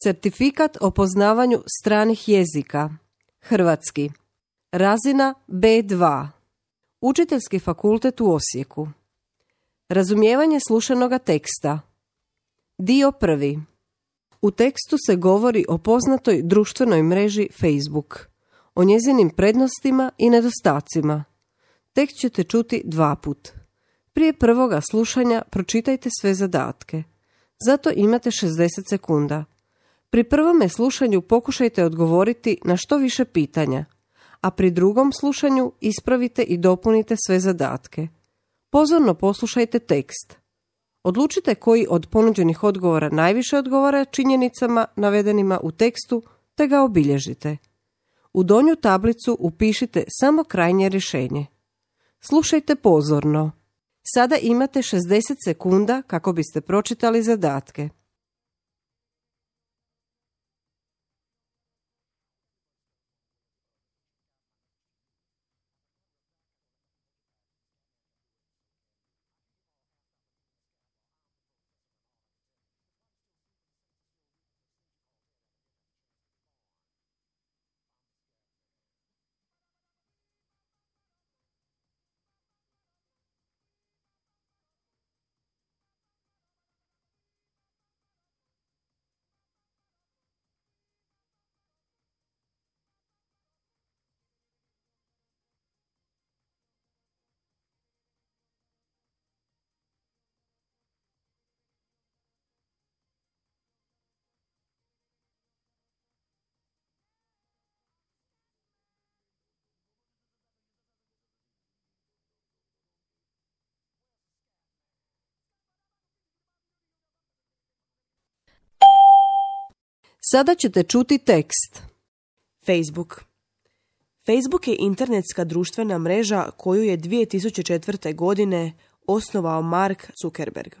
Certifikat o poznavanju stranih jezika. Hrvatski. Razina B2. Učiteljski fakultet u Osijeku. Razumijevanje slušanoga teksta. Dio 1. U tekstu se govori o poznatoj društvenoj mreži Facebook, o njezinim prednostima i nedostacima. Tekst ćete čuti 2 puta. Prije prvoga slušanja pročitajte sve zadatke. Zato imate 60 sekunda. Pri prvome slušanju pokušajte odgovoriti na što više pitanja, a pri drugom slušanju ispravite i dopunite sve zadatke. Pozorno poslušajte tekst. Odlučite koji od ponuđenih odgovora najviše odgovara činjenicama navedenima u tekstu, te ga obilježite. U donju tablicu upišite samo krajnje rješenje. Slušajte pozorno. Sada imate 60 sekunda kako biste pročitali zadatke. Sada ćete čuti tekst. Facebook. Facebook je internetska društvena mreža koju je 2004. godine osnovao Mark Zuckerberg.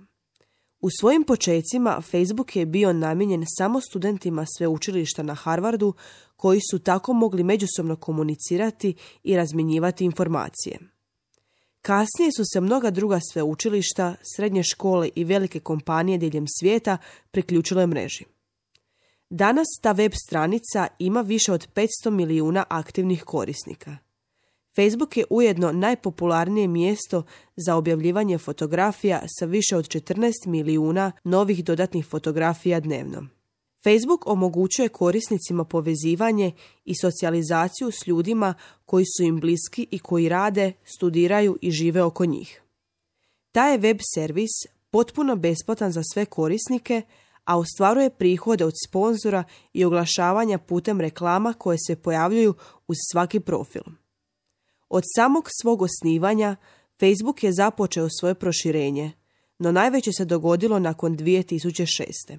U svojim počecima Facebook je bio namijenjen samo studentima sveučilišta na Harvardu koji su tako mogli međusobno komunicirati i razmjenjivati informacije. Kasnije su se mnoga druga sveučilišta, srednje škole i velike kompanije diljem svijeta priključile mreži. Danas ta web stranica ima više od 500 milijuna aktivnih korisnika. Facebook je ujedno najpopularnije mjesto za objavljivanje fotografija sa više od 14 milijuna novih dodatnih fotografija dnevno. Facebook omogućuje korisnicima povezivanje i socijalizaciju s ljudima koji su im bliski i koji rade, studiraju i žive oko njih. Taj je web servis potpuno besplatan za sve korisnike, a ostvaruje prihode od sponzora i oglašavanja putem reklama koje se pojavljuju uz svaki profil. Od samog svog osnivanja Facebook je započeo svoje proširenje, no najveće se dogodilo nakon 2006.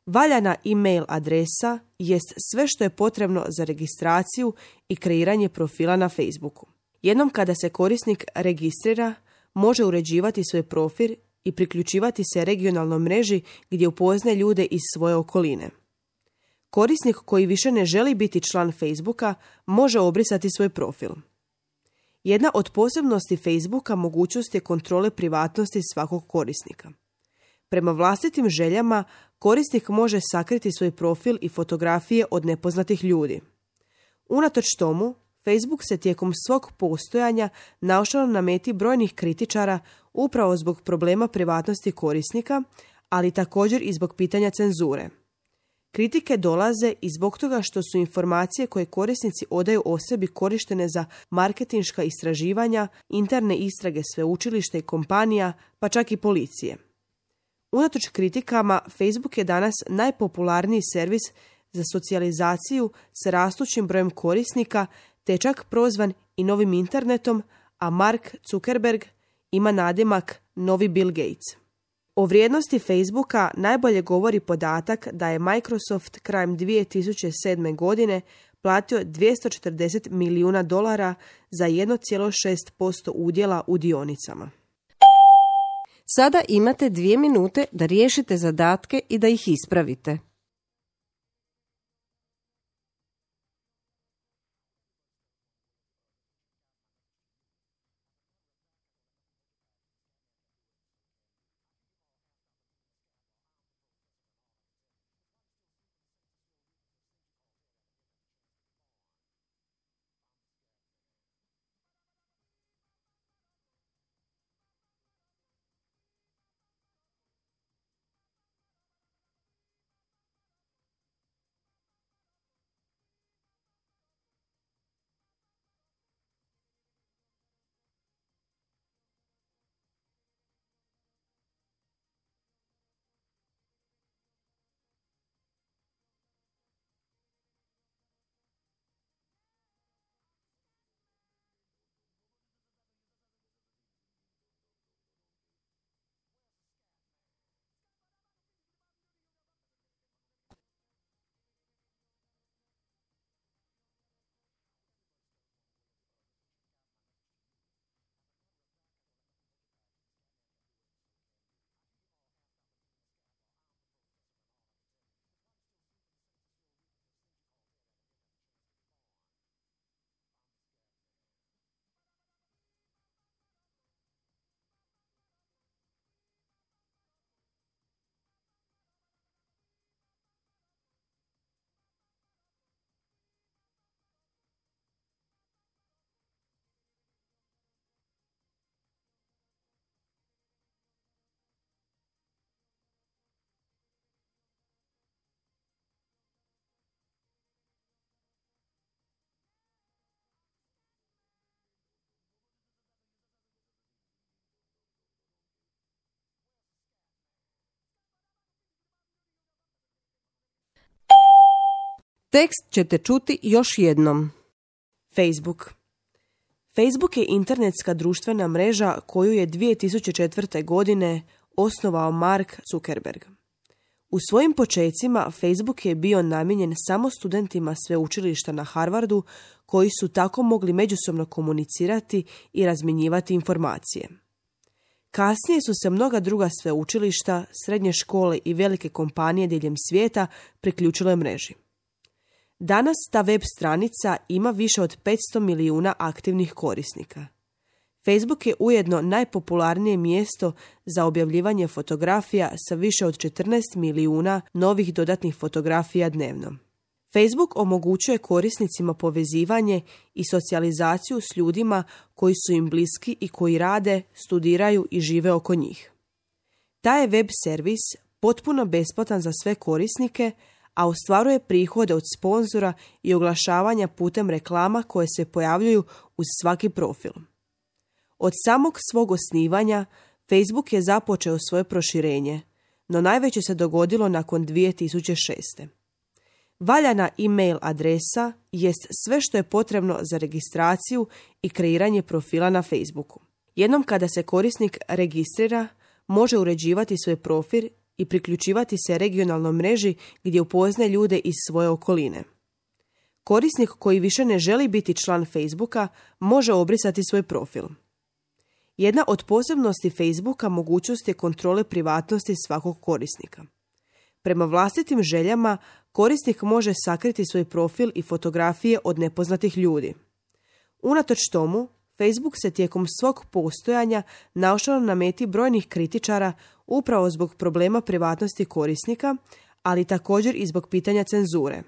Valjana e-mail adresa jest sve što je potrebno za registraciju i kreiranje profila na Facebooku. Jednom kada se korisnik registrira, može uređivati svoj profil i priključivati se regionalnoj mreži gdje upoznaje ljude iz svoje okoline. Korisnik koji više ne želi biti član Facebooka može obrisati svoj profil. Jedna od posebnosti Facebooka mogućnost je kontrole privatnosti svakog korisnika. Prema vlastitim željama, korisnik može sakriti svoj profil i fotografije od nepoznatih ljudi. Unatoč tomu, Facebook se tijekom svog postojanja našao na meti brojnih kritičara upravo zbog problema privatnosti korisnika, ali također i zbog pitanja cenzure. Kritike dolaze i zbog toga što su informacije koje korisnici odaju o sebi korištene za marketinška istraživanja, interne istrage sveučilišta i kompanija, pa čak i policije. Unatoč kritikama, Facebook je danas najpopularniji servis za socijalizaciju s rastućim brojem korisnika, te je čak prozvan i novim internetom, a Mark Zuckerberg ima nadimak novi Bill Gates. O vrijednosti Facebooka najbolje govori podatak da je Microsoft krajem 2007. godine platio $240 milijuna za 1,6% udjela u dionicama. Sada imate 2 minute da riješite zadatke i da ih ispravite. Tekst ćete čuti još jednom. Facebook. Facebook je internetska društvena mreža koju je 2004. godine osnovao Mark Zuckerberg. U svojim počecima Facebook je bio namijenjen samo studentima sveučilišta na Harvardu koji su tako mogli međusobno komunicirati i razmjenjivati informacije. Kasnije su se mnoga druga sveučilišta, srednje škole i velike kompanije diljem svijeta priključile mreži. Danas ta web stranica ima više od 500 milijuna aktivnih korisnika. Facebook je ujedno najpopularnije mjesto za objavljivanje fotografija sa više od 14 milijuna novih dodatnih fotografija dnevno. Facebook omogućuje korisnicima povezivanje i socijalizaciju s ljudima koji su im bliski i koji rade, studiraju i žive oko njih. Taj je web servis potpuno besplatan za sve korisnike, a ostvaruje prihode od sponzora i oglašavanja putem reklama koje se pojavljuju uz svaki profil. Od samog svog osnivanja Facebook je započeo svoje proširenje, no najveće se dogodilo nakon 2006. Valjana e-mail adresa jest sve što je potrebno za registraciju i kreiranje profila na Facebooku. Jednom kada se korisnik registrira, može uređivati svoj profil i priključivati se regionalnoj mreži gdje upoznaje ljude iz svoje okoline. Korisnik koji više ne želi biti član Facebooka može obrisati svoj profil. Jedna od posebnosti Facebooka mogućnost je kontrole privatnosti svakog korisnika. Prema vlastitim željama, korisnik može sakriti svoj profil i fotografije od nepoznatih ljudi. Unatoč tomu, Facebook se tijekom svog postojanja našao na meti brojnih kritičara upravo zbog problema privatnosti korisnika, ali također i zbog pitanja cenzure.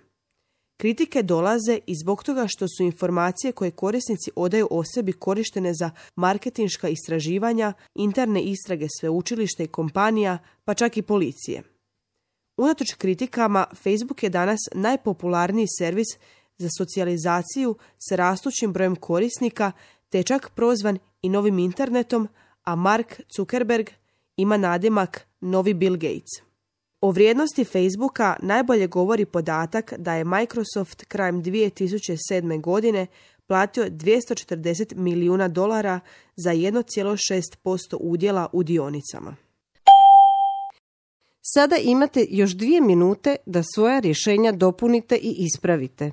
Kritike dolaze i zbog toga što su informacije koje korisnici odaju o sebi korištene za marketinška istraživanja, interne istrage sveučilišta i kompanija, pa čak i policije. Unatoč kritikama, Facebook je danas najpopularniji servis za socijalizaciju s rastućim brojem korisnika, te je čak prozvan i novim internetom, a Mark Zuckerberg ima nadimak Novi Bill Gates. O vrijednosti Facebooka najbolje govori podatak da je Microsoft krajem 2007. godine platio $240 milijuna za 1,6% udjela u dionicama. Sada imate još 2 minute da svoja rješenja dopunite i ispravite.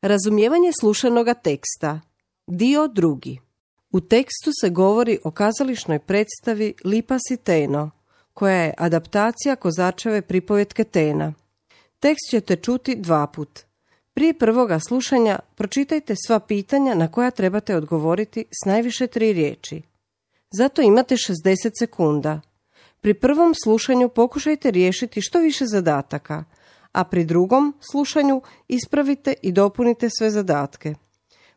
Razumijevanje slušanoga teksta. Dio 2. U tekstu se govori o kazališnoj predstavi Lipa si Teno, koja je adaptacija Kozačeve pripovetke Tena. Tekst ćete čuti 2 put. Prije prvoga slušanja pročitajte sva pitanja na koja trebate odgovoriti s najviše 3 riječi. Zato imate 60 sekunda. Pri prvom slušanju pokušajte riješiti što više zadataka, a pri drugom slušanju ispravite i dopunite sve zadatke.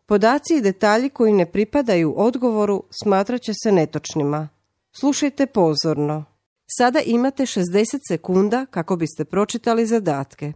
Podaci i detalji koji ne pripadaju odgovoru smatrat će se netočnima. Slušajte pozorno. Sada imate 60 sekunda kako biste pročitali zadatke.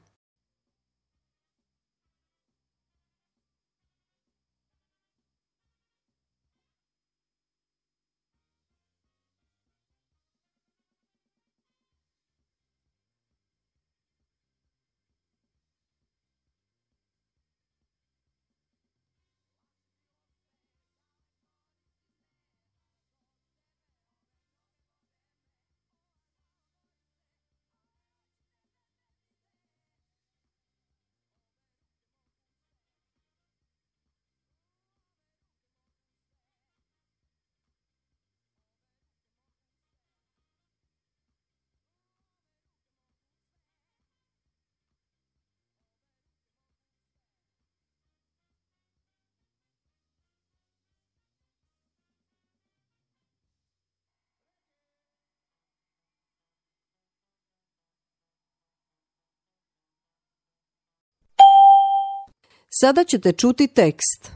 Sada ćete čuti tekst.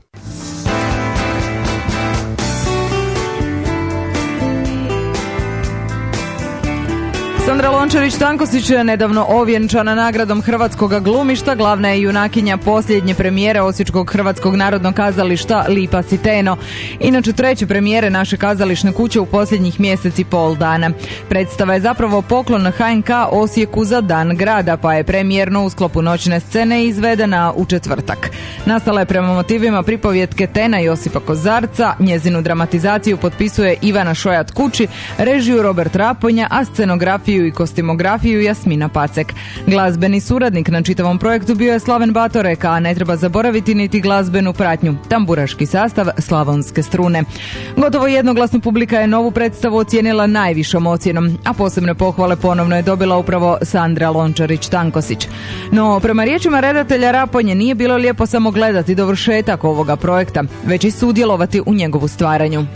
Sandra Lončarić-Tankosić je nedavno ovjenčana nagradom hrvatskog glumišta, glavna je junakinja posljednje premijere Osječkog hrvatskog narodnog kazališta Lipa si Teno. Inače 3. premijere naše kazališne kuće u posljednjih mjesec i pol dana. Predstava je zapravo poklon HNK Osijeku za Dan grada, pa je premijerno u sklopu noćne scene izvedena u četvrtak. Nastala je prema motivima pripovjetke Tena Josipa Kozarca, njezinu dramatizaciju potpisuje Ivana Šojat Kući, režiju Robert Raponja, a scenografiju i kostimografiju Jasmina Pacek. Glazbeni suradnik na čitavom projektu bio je Slaven Batorek, a ne treba zaboraviti niti glazbenu pratnju, tamburaški sastav Slavonske strune. Gotovo jednoglasno publika je novu predstavu ocijenila najvišom ocjenom, a posebne pohvale ponovno je dobila upravo Sandra Lončarić-Tankosić. No, prema riječima redatelja Raponje nije bilo lijepo samo gledati dovršetak ovoga projekta, već i sudjelovati u njegovu stvaranju.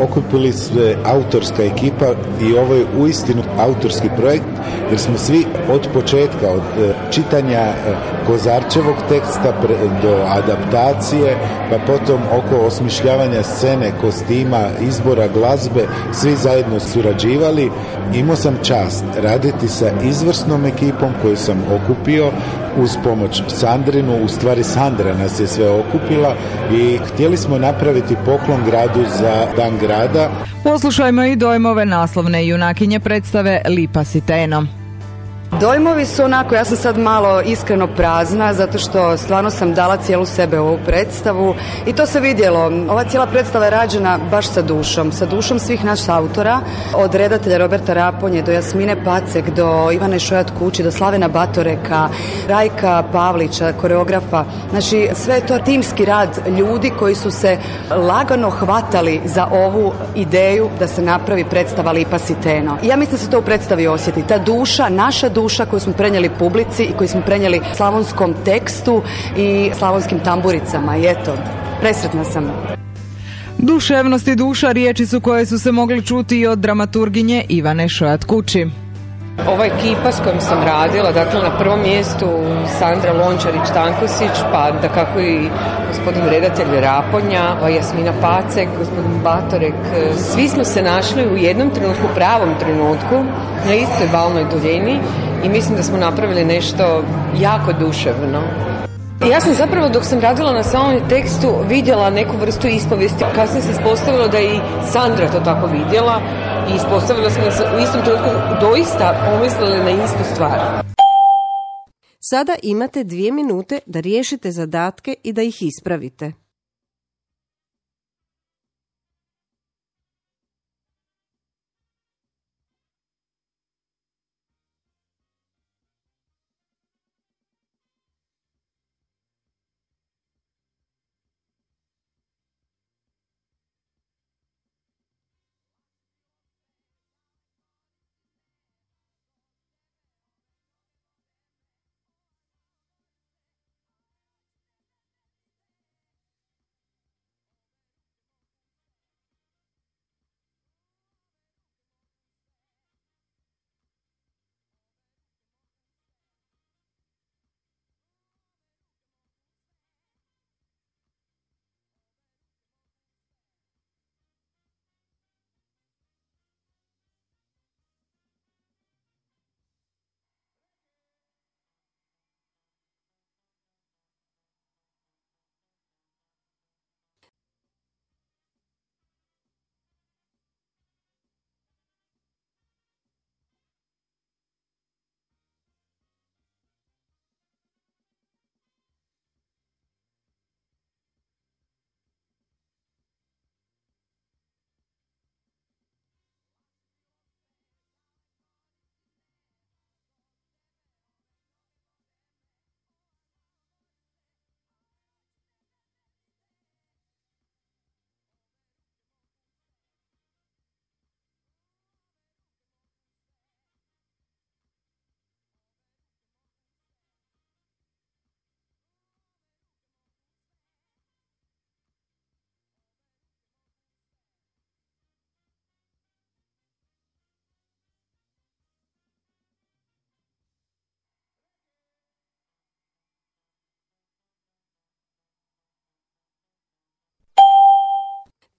Okupili se autorska ekipa i ovo je uistinu autorski projekt jer smo svi od početka, od čitanja Kozarčevog teksta do adaptacije, pa potom oko osmišljavanja scene, kostima, izbora glazbe, svi zajedno surađivali. Imao sam čast raditi sa izvrsnom ekipom koju sam okupio uz pomoć Sandrinu, u stvari Sandra nas je sve okupila i htjeli smo napraviti poklon gradu za Dan grada. Poslušajmo i dojmove naslovne junakinje predstave Lipa si Teno. Dojmovi su onako, ja sam sad malo iskreno prazna zato što stvarno sam dala cijelu sebe u ovu predstavu i to se vidjelo. Ova cijela predstava je rađena baš sa dušom svih naših autora, od redatelja Roberta Raponje do Jasmine Pacek, do Ivane Šojat Kući, do Slavena Batoreka, Rajka Pavlića, koreografa. Znači sve je to timski rad ljudi koji su se lagano hvatali za ovu ideju da se napravi predstava Lipa si Teno. Ja mislim da se to u predstavi osjeti. Ta duša, naša duša koju smo prenijeli publici i koju smo prenijeli slavonskom tekstu i slavonskim tamburicama. I eto, presretna sam. Duševnost i duša riječi su koje su se mogli čuti i od dramaturginje Ivane Šojat Kući. Ova ekipa s kojom sam radila, dakle na prvom mjestu Sandra Lončarić-Tankosić, pa da kako i gospodin redatelj Raponja, Jasmina Pacek, gospodin Batorek, svi smo se našli u jednom trenutku, pravom trenutku, na istoj valnoj duljini i mislim da smo napravili nešto jako duševno. Ja sam zapravo dok sam radila na samom tekstu vidjela neku vrstu ispovijesti. Kasnije se ispostavilo da je i Sandra to tako vidjela i ispostavilo smo da se u istom trenutku doista pomislili na istu stvar. Sada imate 2 minute da riješite zadatke i da ih ispravite.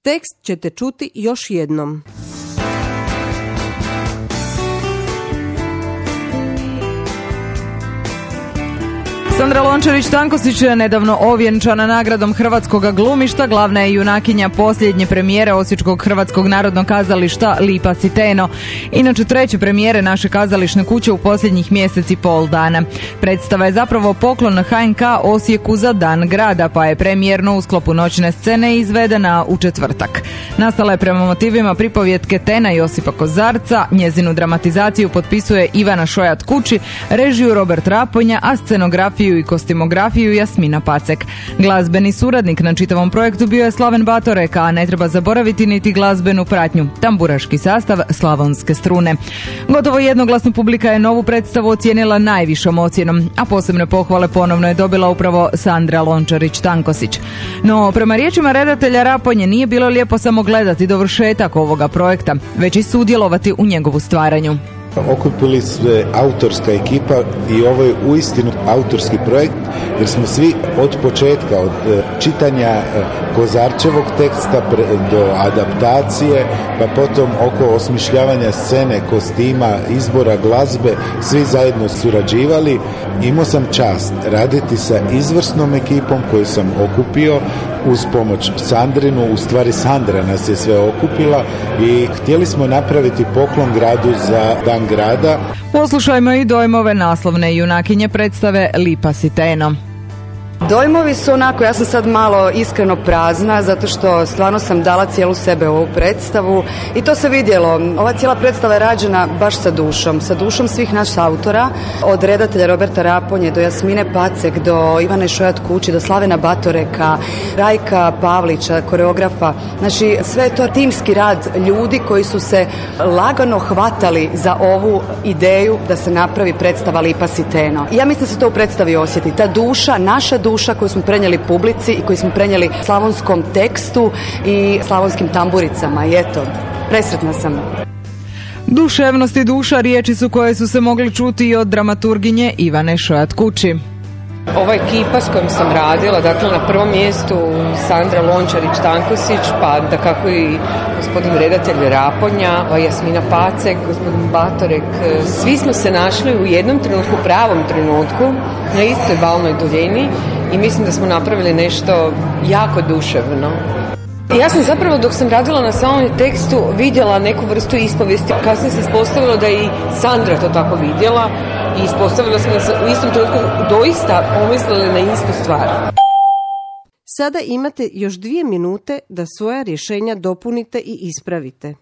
Tekst ćete čuti još jednom. Sandra Lončarić-Tankosić je nedavno ovjenčana nagradom hrvatskog glumišta, glavna je junakinja posljednje premijere Osječkog Hrvatskog narodnog kazališta Lipa Siteno. Inače treće premijere naše kazališne kuće u posljednjih mjesec i pol dana. Predstava je zapravo poklon HNK Osijeku za Dan grada, pa je premijerno u sklopu noćne scene izvedena u četvrtak. Nastala je prema motivima pripovjetke Tena Josipa Kozarca, njezinu dramatizaciju potpisuje Ivana Šojat-Kući, režiju Robert Raponja, a scenografiju i kostimografiju Jasmina Pacek. Glazbeni suradnik na čitavom projektu bio je Slaven Batorek, a ne treba zaboraviti niti glazbenu pratnju, tamburaški sastav Slavonske strune. Gotovo jednoglasno publika je novu predstavu ocijenila najvišom ocjenom, a posebne pohvale ponovno je dobila upravo Sandra Lončarić-Tankosić. No, prema riječima redatelja Raponje nije bilo lijepo samo gledati dovršetak ovoga projekta, već i sudjelovati u njegovu stvaranju. Okupili se autorska ekipa i ovo je uistinu autorski projekt jer smo svi od početka, od čitanja Kozarčevog teksta do adaptacije, pa potom oko osmišljavanja scene, kostima, izbora glazbe, svi zajedno surađivali. Imao sam čast raditi sa izvrsnom ekipom koju sam okupio uz pomoć Sandrinu, u stvari Sandra nas je sve okupila i htjeli smo napraviti poklon gradu za Dan grada. Poslušajmo i dojmove naslovne junakinje predstave Lipa Siteno. Dojmovi su onako, ja sam sad malo iskreno prazna zato što stvarno sam dala cijelu sebe u ovu predstavu i to se vidjelo. Ova cijela predstava je rađena baš sa dušom svih naših autora, od redatelja Roberta Raponje do Jasmine Pacek, do Ivane Šojat-Kući, do Slavena Batoreka, Rajka Pavlića, koreografa. Znači sve je to timski rad ljudi koji su se lagano hvatali za ovu ideju da se napravi predstava Lipa Siteno. I ja mislim da se to u predstavi osjeti. Ta duša, naša duša koju smo prenijeli publici i koju smo prenijeli slavonskom tekstu i slavonskim tamburicama. I eto, presretna sam. Duševnost i duša riječi su koje su se mogli čuti i od dramaturginje Ivane Šojat-Kući. Ova ekipa s kojom sam radila, dakle na prvom mjestu Sandra Lončarić-Tankosić, pa da kako i gospodin redatelj Raponja, Jasmina Pacek, gospodin Batorek, svi smo se našli u jednom trenutku, pravom trenutku, na istoj valnoj duljini i mislim da smo napravili nešto jako duševno. Ja sam zapravo dok sam radila na samom tekstu vidjela neku vrstu ispovijesti. Kasnije se ispostavilo da je i Sandra to tako vidjela i ispostavilo se da se u istom trenutku doista pomislili na istu stvar. Sada imate još 2 minute da svoja rješenja dopunite i ispravite.